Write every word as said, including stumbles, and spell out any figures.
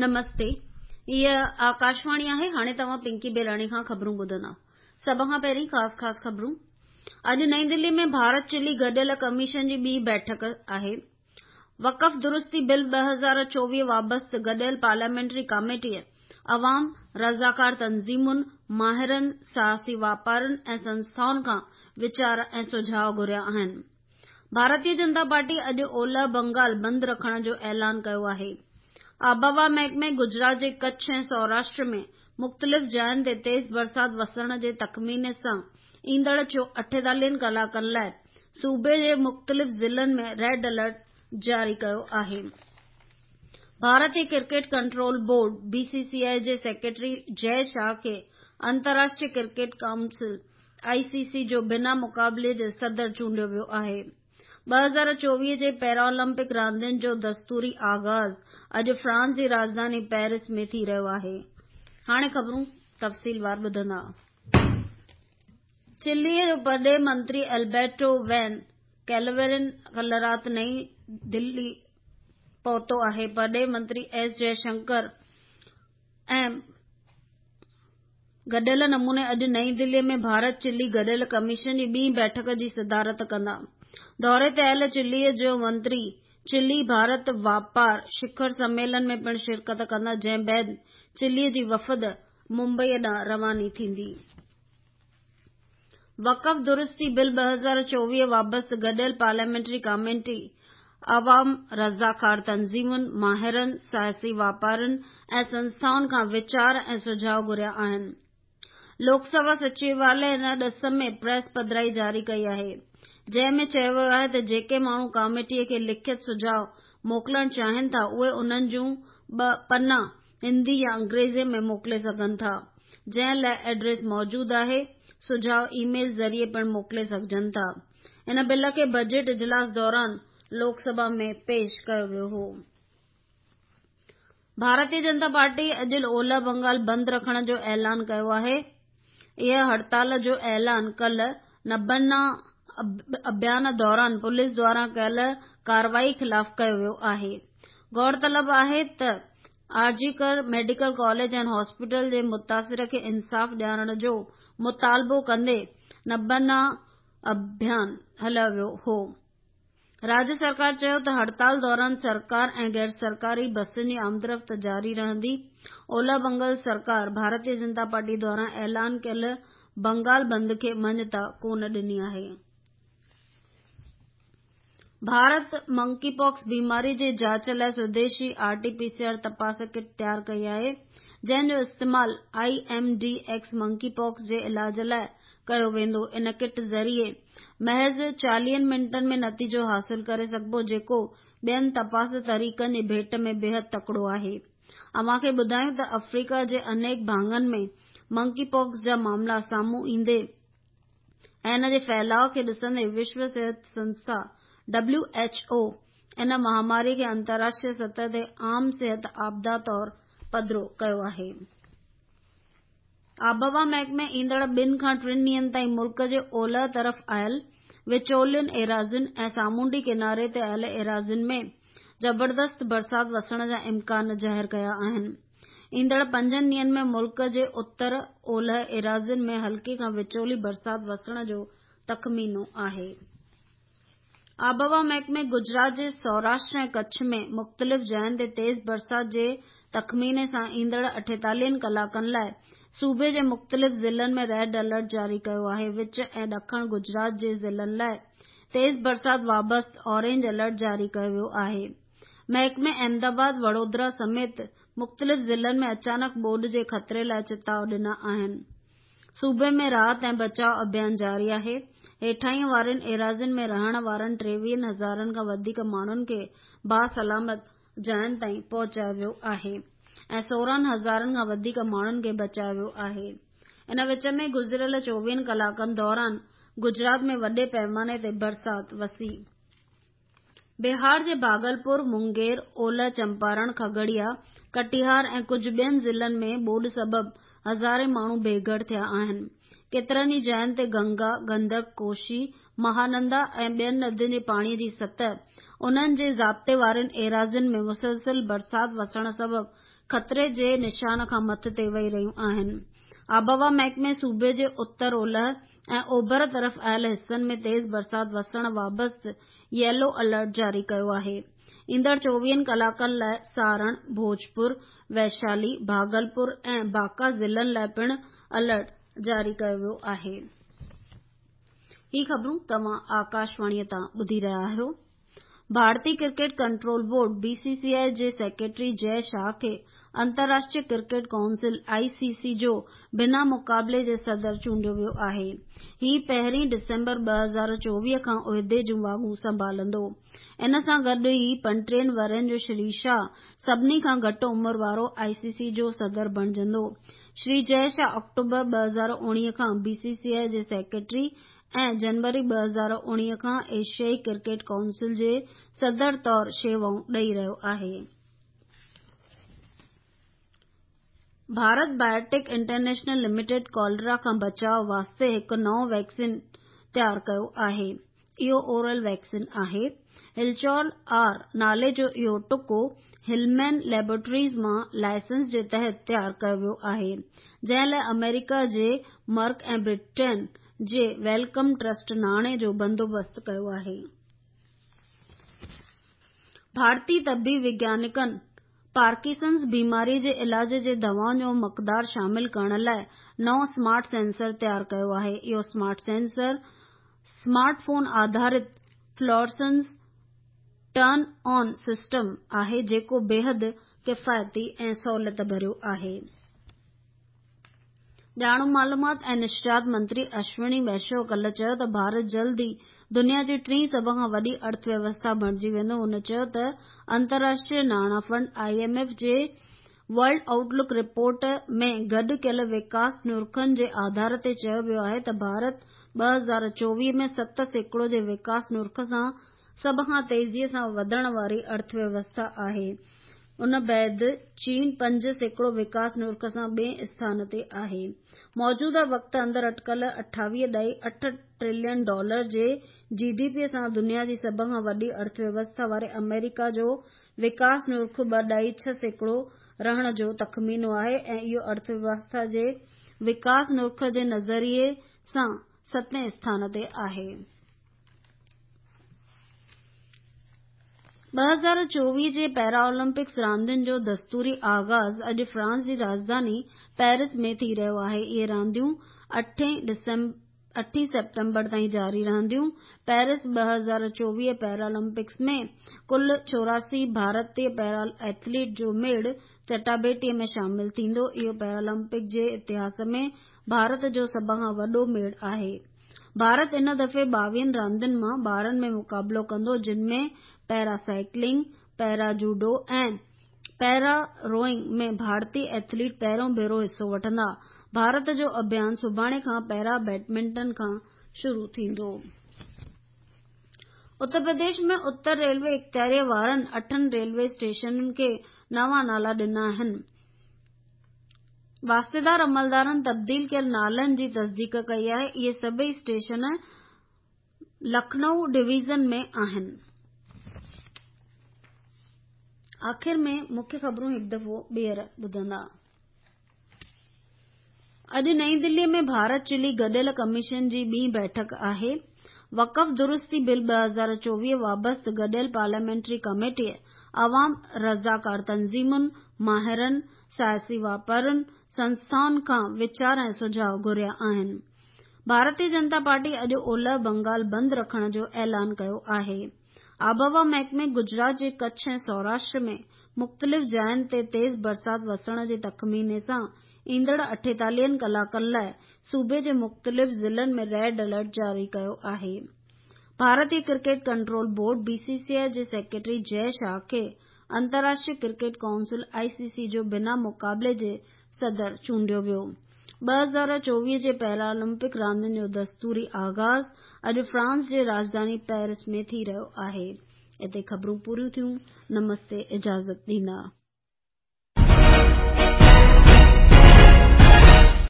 نمستي، هيء آڪاشواڻي آهي. هاڻي توهان پنڪي بيلاڻي کان خبرون ٻڌندا. سڀ کان پهرين خاص خاص خبرون. اڄ نئين دلي ۾ ڀارت چلي گڏيل ڪميشن جي ٻي بيٺڪ آهي. وقف درستي بل ٻه هزار چوويهه وابسته گڏيل پارليامينٽري ڪاميٽيء عوام، رضاڪار تنظيمن، ماهرن، سياسي واپارين ۽ سنسٿائن کان ويچار ۽ سجهاء گهريا آهن. ڀارتيه جنتا پارٽي اڄ اولهه بنگال بند رکڻ جو اعلان ڪيو آهي. آبهوا محڪمي گجرات جي ڪڇ ۽ سوراشٽر ۾ مختلف جاين تي تيز برسات وسڻ جي تخميني سان ايندڙ اٺيتاليهن ڪلاڪن لاء صوبي جي مختلف ضلعن ۾ ريڊ الرٽ جاري ڪيو آهي. ڀارتي cricket control board B C C I جي سيڪريٽري جئه شاهه کي انترراشٽريه cricket council I C C جو بنا مقابلي جي صدر چونڊيو ويو آهي. ٻه هزار چوويهه جي پيرالمپڪ راندين جو دستوري آغاز اڄ فرانس جي راڄڌاني پيرس ۾ ٿي رهيو آهي. هاڻي خبرون تفصيلوار ٻڌندا. چلي جو پرڏيهي منتري البرٽو وين ڪيلورين ڪلهه رات نئين دلي پهتو آهي. پرڏيهي منتري ايس جئه شنڪر ۽ گڏيل نموني اڄ نئين دلي ۾ ڀارت چلي گڏيل ڪميشن جي ٻي بيٺڪ جي صدارت ڪندا. دوري تي آيل چلي جو منتري چلي ڀارت واپار شکر سميلن ۾ پڻ شرڪت ڪندا، جنهن بعد چلي جي وفد ممبئي ڏانهن رواني ٿيندي. وقف درستي بل ٻه هزار چوويهه وابسته گڏيل پارليامينٽري ڪاميٽي عوام، رضاڪار تنظيمن، ماهرن، سياسي واپارين ۽ سنسٿائن کان ويچار ۽ سجهاء گهريا آهن. لوڪ سڀا سچواليه ان ڏس ۾ پريس پڌرائي جاري ڪئي آهي، جنهن ۾ چيو ويو آهي ته جيڪي ماڻهو ڪاميٽي کي لکت سجهاء موڪلڻ چاهين ٿا، اهي انهن جون ٻه پنا هندي يا انگريزي ۾ موڪلي سگهن ٿا، جنهن لاء ايڊريس موجود آهي. سجهاء اي ميل ذريعي پڻ موڪلي سگهجن ٿا. ان بل کي بجيٽ اجلاس دوران لوڪ سڀا ۾ پيش ڪيو ويو هو. ڀارتيه جنتا پارٽي اڄ اولهه بنگال بند رکڻ جو اعلان ڪيو آهي. اها هڙتال جو اعلان ڪلهه نبنا اڀيان دوران پوليس دواران ڪيل ڪارروائي خلاف ڪيو ويو آهي. غور طلب آهي ته R G Kar medical college ۽ hospital جي متاثر کي انصاف ڏيارڻ جو مطالبو ڪندي نبنا اڀيان هلايو ويو هو. راجيه سرڪار چيو ته هڙتال دوران سرڪار ۽ غير سرڪاري بسن جي آمدرفت جاري رهندي. اولهه بنگال سرڪار ڀارتيه جنتا پارٽي دواران اعلان ڪيل بنگال بند کي مڃتا ڪونه ڏني آهي. ڀارت منڪي پاڪس بيماري جي جاچ لاء swadeshi R T P C R تپاس ڪٽ تيار ڪئي آهي، جنهن جو استعمال I M D X monkeypox جي علاج لاء ڪيو ويندو. ان ڪٽ ذريعي محض چاليهن منٽن ۾ نتيجو حاصل ڪري سگهبو، جيڪو ٻين تپاس طريقن جي ڀيٽ ۾ بيحد تڪڙو آهي. اوهان کي ٻڌايون ته آفريڪا جي انيڪ ڀاڱن ۾ منڪي پاڪس جا معاملا سامهون ايندي ۽ ان جي ڦهلاءُ کي ڏسندي وشو صحت سنسٿا ڊبليو ايڇ او ان مهاماري کي انترراشٽريه سطح تي عام صحت آپدا طور پڌرو ڪيو آهي. آبهوا محڪمي ايندڙ ٻن کان ٽن ڏينهن تائين ملڪ جي اولهه طرف آيل وچولين ايراضين ۽ سامونڊي ڪناري تي آيل ايراضين ۾ زبردست برسات وسڻ جا امڪان ظاهر ڪيا آهن. ايندڙ پنجن ڏينهن ۾ ملڪ جي اتر اولهه ايراضين ۾ هلڪي کان وچولي برسات وسڻ جو تخمينو آهي. آبهوا محڪمي گجرات جي سوراشٽر ۽ ڪڇ ۾ مختلف جاين تي تيز برسات جي تخميني سان ايندڙ اٺيتاليهن ڪلاڪن لاء صوبي جي مختلف ضلعن ۾ ريڊ الرٽ جاري ڪيو آهي. وچ ۽ ڏکڻ گجرات جي ضلعن لاء تيز برسات وابسته اورينج الرٽ جاري ڪيو ويو آهي. محڪمي احمدآباد، وڙودرا سميت مختلف ضلعن ۾ اچانڪ ٻوڏ جي خطري لاء چتاءُ ڏنا آهن. صوبي ۾ راحت ۽ بچاءُ اڀيان جاري آهي. هيٺاهين وارين ايراضين ۾ رهڻ وارن ٽيويهن هزارن کان وڌيڪ ماڻهن کي باسلامت جاين تائين پهچايو ويو آهي ۽ سورهن هزارن کان وڌيڪ ماڻهن کي بچايو ويو آهي. ان وچ ۾ گذريل چوويهن ڪلاڪن دوران گجرات ۾ وڏي پيماني تي برسات وسي. بهار جي ڀاگلپور، مونگير، اولهه چمپارڻ، کگڙيا، ڪٽيهار ۽ ڪجهه ٻين ضلعن ۾ ٻوڏ سبب هزارين ماڻهو بيگهر ٿيا آهن. ڪيترن ئي جاين تي گنگا، گندڪ، ڪوشي، مهانندا ۽ ٻين ندين جي پاڻي جي سطح انهن جي ضابطي وارين ايراضين ۾ مسلسل برسات وسڻ سبب خطري جي نشان کان مٿي وهي رهيون آهن. آبهوا محڪمي صوبي جي اتر، اولهه ۽ اوڀر طرف آيل حصن ۾ تيز برسات وسڻ وابسته ييلو الرٽ جاري ڪيو آهي. ايندڙ چوويهن ڪلاڪن لاءِ سارڻ، ڀوجپور، ويشالي، ڀاگلپور ۽ بانڪا ضلعن لاءِ پڻ الرٽ جاري ڪيو ويو آهي. هي خبرون توهان آڪاشواڻيءَ تان ٻڌي رهيا آهيو. ڀارتي cricket control board B C C I جي سيڪريٽري جئه شاهه کي انترراشٽريه cricket council I C C جو بنا مقابلي جي صدر چونڊيو ويو آهي. هي پهرين ڊسمبر ٻه هزار چوويهه کان عهدي جون واڳون سنڀالندو. ان سان گڏ ئي پنٽيهن ورهين جو شري شاهه سڀني کان گهٽ عمر وارو آء سي سي جو صدر بڻجندو. شري جئه شاهه آڪٽوبر ٻه هزار اڻويهه کان بي سي سي آء جي سيڪريٽري ۽ جنوري ٻه هزار اڻويهه کان ايشيائي ڪرڪيٽ ڪائونسل جي صدر طور شيوائون ڏئي رهيو آهي. Bharat biotech international limited cholera کان بچاءُ واسطي هڪ نئون ويڪسين تيار ڪيو آهي. اهو اورل ويڪسين آهي. هلچول آر نالي جو اهو ٽڪو هلمين ليبارٽريز مان لائسنس جي تحت تيار ڪيو ويو آهي، جنهن لاءِ آمريڪا جي مرڪ ۽ برٽين جي welcome trust ناڻي جو بندوبست ڪيو آهي. ڀارتي طبي وگيانڪن پارڪنسنز بيماري جي علاج جي دوائن جو مقدار شامل ڪرڻ لاءِ نئون سمارٽ سينسر تيار ڪيو آهي. اهو سمارٽ سينسر سمارٽ فون آڌارت فلورسنس ٽرن آن سسٽم آهي، جيڪو بيحد ڪفايتي ۽ سهولت ڀريو آهي. ڄاڻ معلومات ۽ نشريات منتري اشوني ويشنو ڪالهه چيو ته ڀارت جلد ئي دنيا جي ٽين سڀ کان وڏي ارٿ ويوسٿا بڻجي ويندو. هن چيو ته انترراشٽريه ناڻا فنڊ I M F جي ورلڊ آئوٽ لڪ رپورٽ ۾ گڏ ڪيل وڪاس نرخن جي آڌار تي چيو ويو آهي ته ڀارت ٻه هزار چوويهه ۾ ست سيڪڙو جي وڪاس نرخ سان سڀ کان تيزيءَ سان وڌڻ واري ارٿ ويوسٿا آهي. ان بعد چين پنج سيڪڙو وڪاس نرخ سان ٻئين اسٿان تي آهي. موجوده وقت اندر اٽڪل اٺاويهه ڏهائي اٺ ٽريلين ڊالر جي جي ڊي پي سان دنيا جي سڀ کان وڏي ارٿ ويوسٿا واري آمريڪا جو وڪاس نرخ ٻه ڏهائي ڇهه سيڪڙو رهڻ جو تخمينو آهي ۽ اهو ارٿ ويوسٿا جي وڪاس نرخ جي نظريي سان ستين اسٿان تي آهي. ٻه هزار چوويهه جي پيرا اولمپڪس راندين جو دستوري آغاز اڄ فرانس جي راڄڌاني پيرس ۾ ٿي رهيو آهي. اهي رانديون اٺين سيپٽمبر تائين جاري رهنديون. پيرس ٻه هزار چوويهه پيرالمپڪس ۾ ڪل چوراسي ڀارتي پيرا ايٿليٽ جو ميڙ چٽاڀيٽيءَ ۾ شامل ٿيندو. اهو پيرالمپڪ جي اتهاس ۾ ڀارت جو سڀ کان وڏو ميڙ آهي. ڀارت ان دفعي ٻاويهن راندين مان ٻارهن ۾ مقابلو ڪندو، جن ۾ پيرا سائيڪلنگ، پيرا جوڊو ۽ پيرا روئنگ ۾ ڀارتي ايٿليٽ پهريون ڀيرو حصو وٺندا. ڀارت جو اڀيان سڀاڻي کان پيرا بيڊمنٽن کان شروع ٿيندو. اتر پرديش ۾ اتر ريلوي اختياريءَ وارن اٺن ريلوي اسٽيشنن کي نوان نالا ڏنا آهن. واسطيدار عملدارن تبديل ڪيل نالن جي تصديق ڪئي آهي. اهي سڀئي اسٽيشن لکنؤ ڊويزن ۾ آهن. آخر ۾ مکيه خبرون هڪ دفعو ٻيهر ٻڌندا. اڄ نئين دليءَ ۾ ڀارت چلي گڏيل ڪميشن جي ٻي بيٺڪ آهي. وقف درستي بل ٻه هزار چوويهه وابسته گڏيل پارليامينٽري ڪميٽيءَ عوام، رضاڪار تنظيمن، ماهرن، سياسي واپارين، سنسٿائن کان ويچار ۽ سجهاءُ گهريا آهن. ڀارتيه جنتا پارٽي اڄ اولهه بنگال بند رکڻ جو اعلان ڪيو آهي. آبهوا محڪمي گجرات جي ڪڇ ۽ سوراشٽر ۾ مختلف جاين تي تيز برسات وسڻ جي تخميني سان ايندڙ اٺيتاليهن ڪلاڪن لاءِ صوبي جي مختلف ضلعن ۾ ريڊ الرٽ جاري ڪيو آهي. ڀارتي cricket control board B C C I جي سيڪريٽري جئه شاهه کي انترراشٽريه cricket council I C C جو بنا مقابلي جي صدر چونڊيو ويو. ٻه هزار چوويهه جي پيرالمپڪ راندين جو دستوري آغاز اڄ فرانس جي راڄڌاني پيرس ۾ ٿي رهيو آهي. اتي خبرون پوريون ٿيون. نمستي، اجازت ڏيندا.